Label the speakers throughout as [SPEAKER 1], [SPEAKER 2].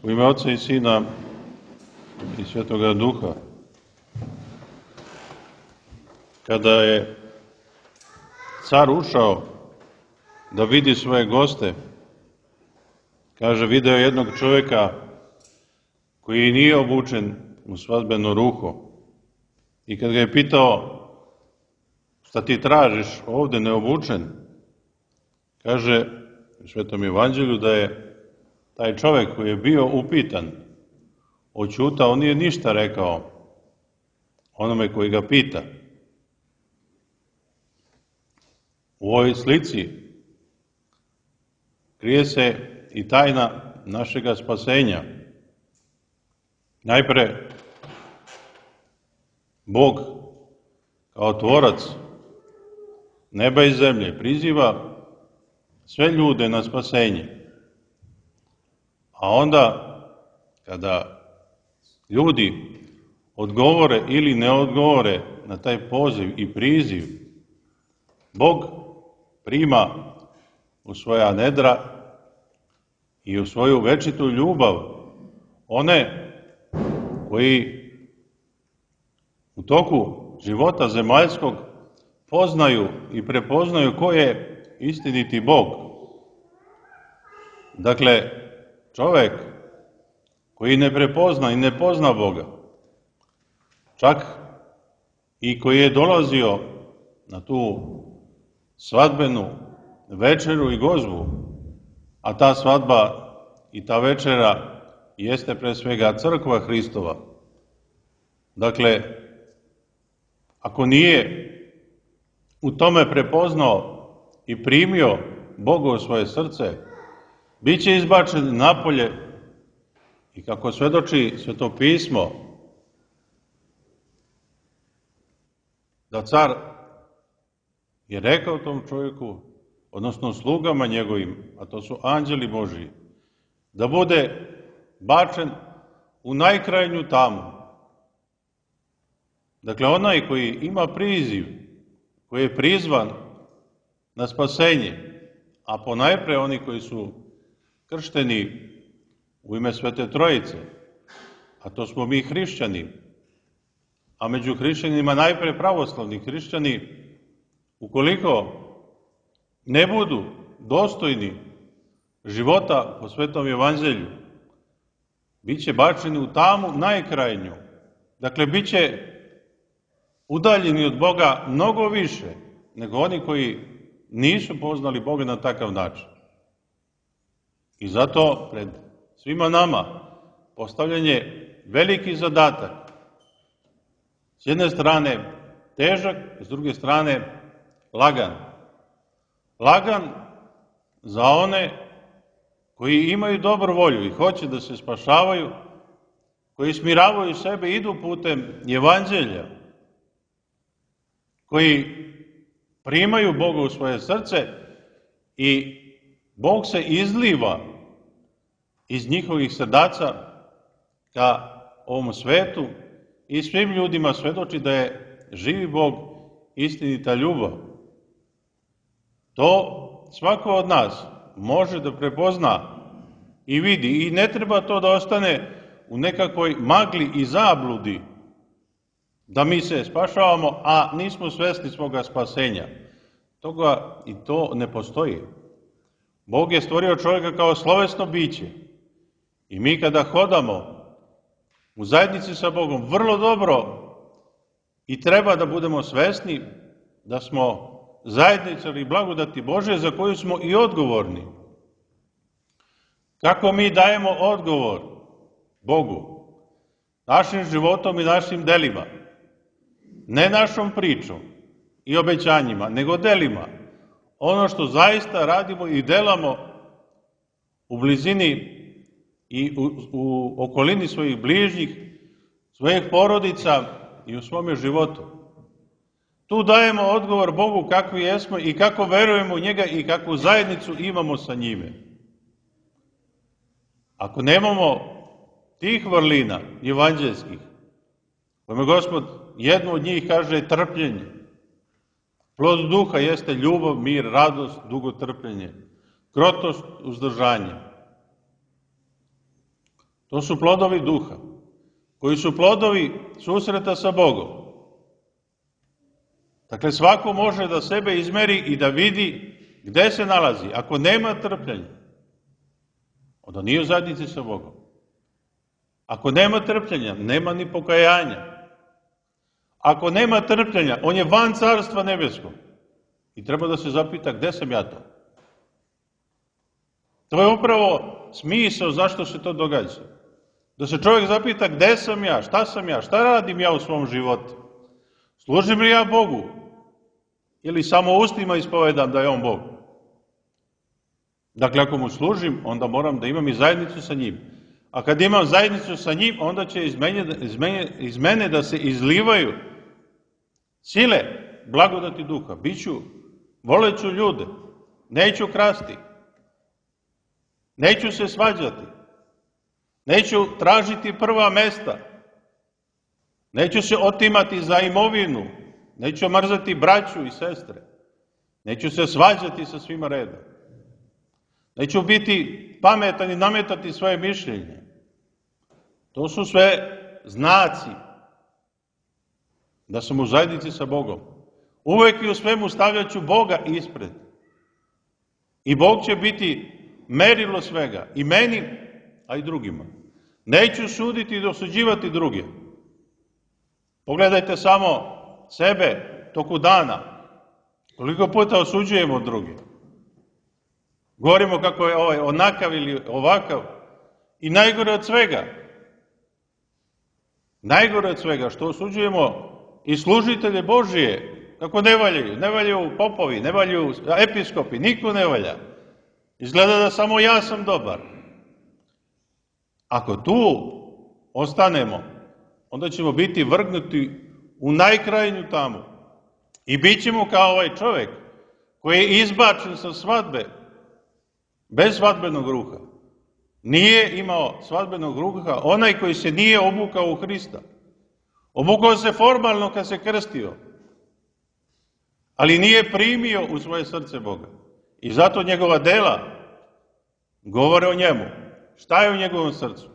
[SPEAKER 1] U ime Oca i Sina i Svetoga Duha. Kada je car ušao da vidi svoje goste, kaže, video je jednog čovjeka koji nije obučen u svadbeno ruho. I kad ga je pitao, šta ti tražiš ovdje neobučen, kaže u Svetom Evanđelju da je taj čovjek koji je bio upitan, oćutao, on nije ništa rekao onome koji ga pita. U ovoj slici krije se i tajna našega spasenja. Najpre, Bog kao tvorac neba i zemlje priziva sve ljude na spasenje. A onda, kada ljudi odgovore ili ne odgovore na taj poziv i priziv, Bog prima u svoja nedra i u svoju večitu ljubav one koji u toku života zemaljskog poznaju i prepoznaju ko je istiniti Bog. Dakle, čovjek koji ne prepozna i ne pozna Boga, čak i koji je dolazio na tu svadbenu večeru i gozbu, a ta svadba i ta večera jeste pre svega crkva Hristova. Dakle, ako nije u tome prepoznao i primio Boga u svoje srce, bit će izbačen napolje i kako svedoči Sveto pismo, da car je rekao tom čovjeku, odnosno slugama njegovim, a to su anđeli Božiji, da bude bačen u najkrajnju tamu. Dakle, onaj koji ima priziv, koji je prizvan na spasenje, a ponajpre oni koji su kršteni u ime Svete Trojice, a to smo mi hrišćani, a među hrišćanima najpre pravoslavni hrišćani, ukoliko ne budu dostojni života po Svetom Evanđelju, bit će bačeni u tamu najkrajnju. Dakle, bit će udaljeni od Boga mnogo više nego oni koji nisu poznali Boga na takav način. I zato pred svima nama postavljen je veliki zadatak. S jedne strane težak, s druge strane lagan. Lagan za one koji imaju dobru volju i hoće da se spašavaju, koji smiravaju sebe, idu putem Evanđelja, koji primaju Boga u svoje srce i Bog se izliva iz njihovih srdaca ka ovom svetu i svim ljudima svedoči da je živi Bog istinita ljubav. To svako od nas može da prepozna i vidi i ne treba to da ostane u nekakvoj magli i zabludi da mi se spašavamo, a nismo svesni svoga spasenja. Toga i to ne postoji. Bog je stvorio čovjeka kao slovesno biće i mi kada hodamo u zajednici sa Bogom vrlo dobro i treba da budemo svesni da smo zajedničari blagodati Božje za koju smo i odgovorni. Kako mi dajemo odgovor Bogu? Našim životom i našim delima. Ne našom pričom i obećanjima, nego delima. Ono što zaista radimo i delamo u blizini i u okolini svojih bližnjih, svojih porodica i u svome životu. Tu dajemo odgovor Bogu kakvi jesmo i kako verujemo u njega i kakvu zajednicu imamo sa njime. Ako nemamo tih vrlina evanđelskih, kojima Gospod jednu od njih kaže trpljenje, plod duha jeste ljubav, mir, radost, dugotrpljenje, krotost, uzdržanje. To su plodovi duha, koji su plodovi susreta sa Bogom. Dakle, svako može da sebe izmeri i da vidi gde se nalazi. Ako nema trpljenja, onda nije u zajednici sa Bogom. Ako nema trpljenja, nema ni pokajanja. Ako nema trpljenja, on je van carstva nebeskog. I treba da se zapita gde sam ja to. To je upravo smisao zašto se to događa. Da se čovjek zapita gde sam ja, šta radim ja u svom životu. Služim li ja Bogu? Ili samo ustima ispovedam da je On Bog? Dakle, ako mu služim, onda moram da imam i zajednicu sa njim. A kad imam zajednicu sa njim, onda će iz mene da se izlivaju sile blagodati duha. Voleću ljude, neću krasti, neću se svađati, neću tražiti prva mesta, neću se otimati za imovinu, neću mrzati braću i sestre, neću se svađati sa svima redom, neću biti pametan i nametati svoje mišljenje. To su sve znaci da sam u zajednici sa Bogom. Uvek i u svemu stavljaću Boga ispred. I Bog će biti merilo svega, i meni, a i drugima. Neću suditi i dosuđivati druge. Pogledajte samo sebe toku dana. Koliko puta osuđujemo druge. Govorimo kako je ovaj onakav ili ovakav. I najgore od svega, što osuđujemo i služitelje Božije, kako ne valjaju popovi, ne valjaju episkopi, niko ne valja. Izgleda da samo ja sam dobar. Ako tu ostanemo, onda ćemo biti vrgnuti u najkrajnju tamu. I bit ćemo kao ovaj čovjek koji je izbačen sa svadbe bez svadbenog ruha. Nije imao svadbenog ruha onaj koji se nije obukao u Hrista. Obukao se formalno kad se krstio, ali nije primio u svoje srce Boga. I zato njegova dela govore o njemu. Šta je u njegovom srcu?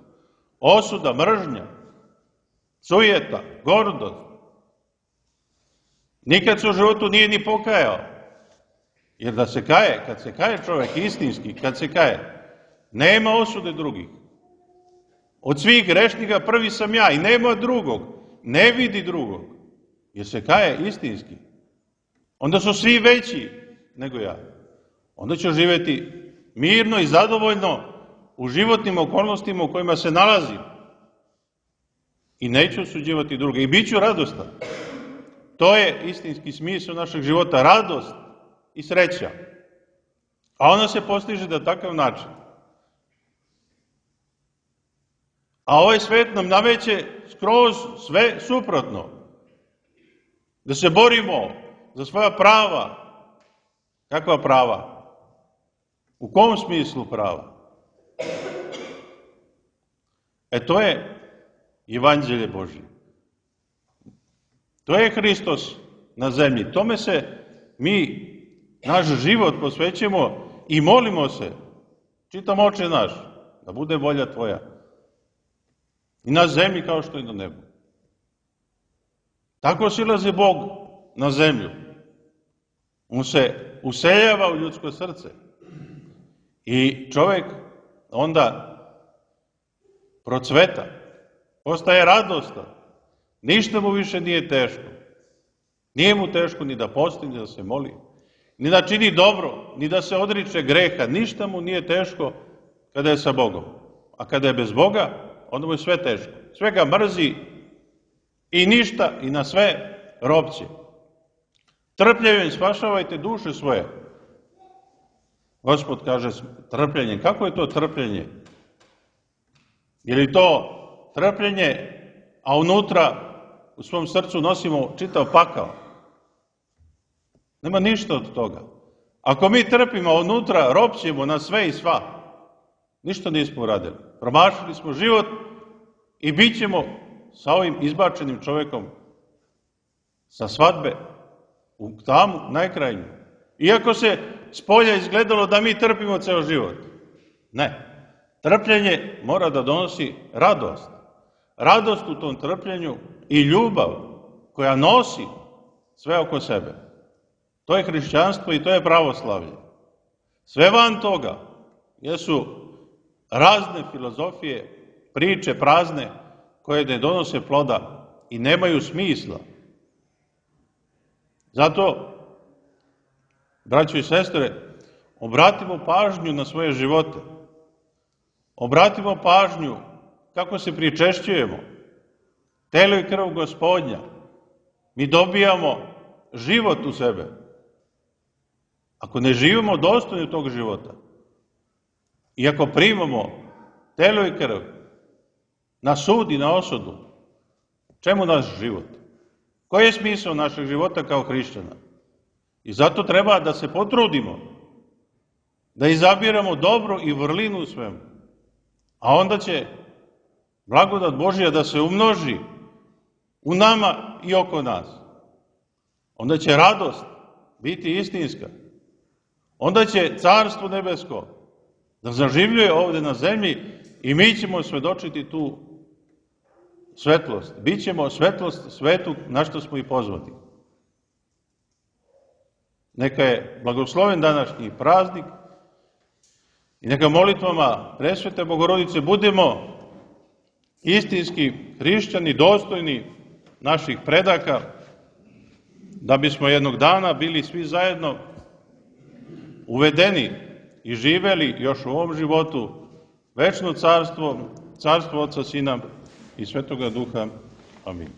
[SPEAKER 1] Osuda, mržnja, sujeta, gordost. Nikad se u životu nije ni pokajao. Jer kad se kaje čovjek istinski, kad se kaje, nema osude drugih. Od svih grešnika prvi sam ja i nema drugog. Ne vidi drugog. Jer se kaje istinski. Onda su svi veći nego ja. Onda ću živjeti mirno i zadovoljno u životnim okolnostima u kojima se nalazim. I neću osuđivati druge. I bit ću radostan. To je istinski smisao našeg života. Radost i sreća. A ona se postiže na takav način. A ovaj svet nam nameće skroz sve suprotno. Da se borimo za svoja prava. Kakva prava? U kom smislu prava? To je Evanđelje Božje. To je Hristos na zemlji. Tome se mi, naš život posvećujemo i molimo se. Čitam Oče naš, da bude volja Tvoja. I na zemlji kao što i na nebu. Tako silazi Bog na zemlju. On se useljava u ljudsko srce. I čovjek onda procveta, postaje radostan. Ništa mu više nije teško. Nije mu teško ni da posti, ni da se moli, ni da čini dobro, ni da se odriče greha. Ništa mu nije teško kada je sa Bogom. A kada je bez Boga, onda mu je sve teško. Sve ga mrzi i ništa i na sve ropće. Trpljenjem spašavajte duše svoje. Gospod kaže trpljenjem. Kako je to trpljenje? Je li to trpljenje, a unutra u svom srcu nosimo čitav pakao? Nema ništa od toga. Ako mi trpimo, a unutra ropćemo na sve i sva, ništa nismo uradili. Promašili smo život i bit ćemo sa ovim izbačenim čovjekom sa svadbe u tamu najkrajnju. Iako se s polja izgledalo da mi trpimo ceo život. Ne. Trpljenje mora da donosi radost. Radost u tom trpljenju i ljubav koja nosi sve oko sebe. To je hrišćanstvo i to je pravoslavlje. Sve van toga jesu razne filozofije, priče prazne koje ne donose ploda i nemaju smisla. Zato, braćo i sestre, obratimo pažnju na svoje živote. Obratimo pažnju kako se pričešćujemo. Telo i krv Gospodnja. Mi dobijamo život u sebe. Ako ne živimo dostojno tog života i ako primamo telo i krv na sud i na osudu, čemu naš život? Koji je smisao našeg života kao hrišćana? I zato treba da se potrudimo, da izabiramo dobro i vrlinu u svemu. A onda će blagodat Božja da se umnoži u nama i oko nas. Onda će radost biti istinska. Onda će Carstvo nebesko da zaživljuje ovde na zemlji i mi ćemo svedočiti tu svetlost. Bićemo svetlost svetu na što smo i pozvani. Neka je blagosloven današnji praznik i neka molitvama Presvete Bogorodice budemo istinski hrišćani, dostojni naših predaka, da bismo jednog dana bili svi zajedno uvedeni i živeli još u ovom životu večno carstvo, carstvo Oca, Sina i Svetoga Duha. Amin.